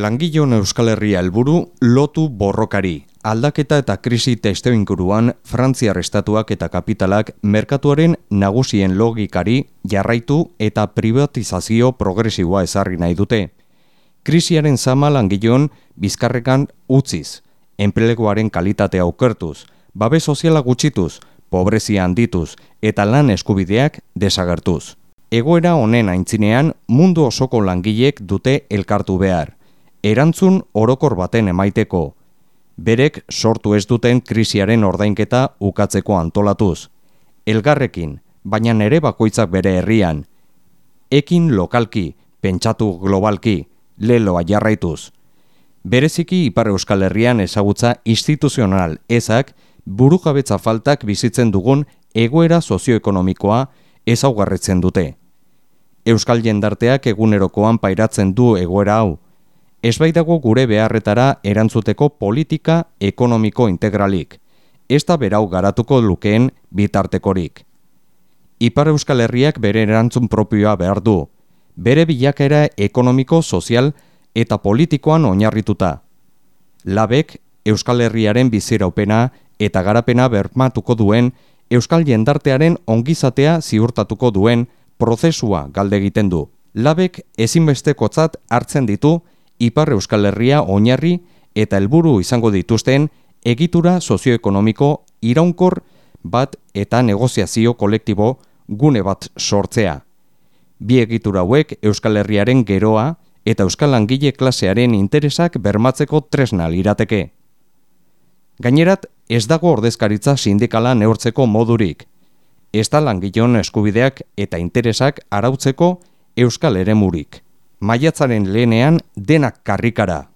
Langileon Euskal Herria helburu lotu borrokari. Aldaketa eta krisi testuinguruan Frantziar estatuak eta kapitalak merkatuaren nagusien logikari jarraitu eta privatizazio progresiboa ezarri nahi dute. Krisiaren zama langileon bizkarrekan utziz, enpleguaren kalitatea okertuz, babes soziala gutxituz, pobrezia handituz eta lan eskubideak desagertuz. Egoera honen aintzinean mundu osoko langileek dute elkartu behar. Erantzun orokor baten emaiteko, berek sortu ez duten krisiaren ordainketa ukatzeko antolatuz. Elgarrekin, baina nere bakoitzak bere herrian. Ekin lokalki, pentsatu globalki, leloa jarraituz. Bereziki Ipar Euskal Herrian ezagutza instituzional ezak burujabetza faltak bizitzen dugun egoera sozioekonomikoa ezaugarritzen dute. Euskal jendarteak egunerokoan pairatzen du egoera hau. Ez baitago gure beharretara erantzuteko politika ekonomiko integralik, ez da berau garatuko lukeen bitartekorik. Ipar Euskal Herriak bere erantzun propioa behar du, bere bilakaera ekonomiko, sozial eta politikoan oinarrituta. Labek Euskal Herriaren biziraupena eta garapena bermatuko duen, Euskal jendartearen ongizatea ziurtatuko duen prozesua galde egiten du. Labek ezinbestekotzat hartzen ditu Ipar Euskal Herria oinarri eta helburu izango dituzten egitura sozioekonomiko iraunkor bat eta negoziazio kolektibo gune bat sortzea. Bi egitura hauek Euskal Herriaren geroa eta Euskal langile klasearen interesak bermatzeko tresna lirateke. Gainerat, ez dago ordezkaritza sindikala neurtzeko modurik. Ez da langileon eskubideak eta interesak arautzeko Euskal eremurik. Maiatzaren lehenean denak karrikara.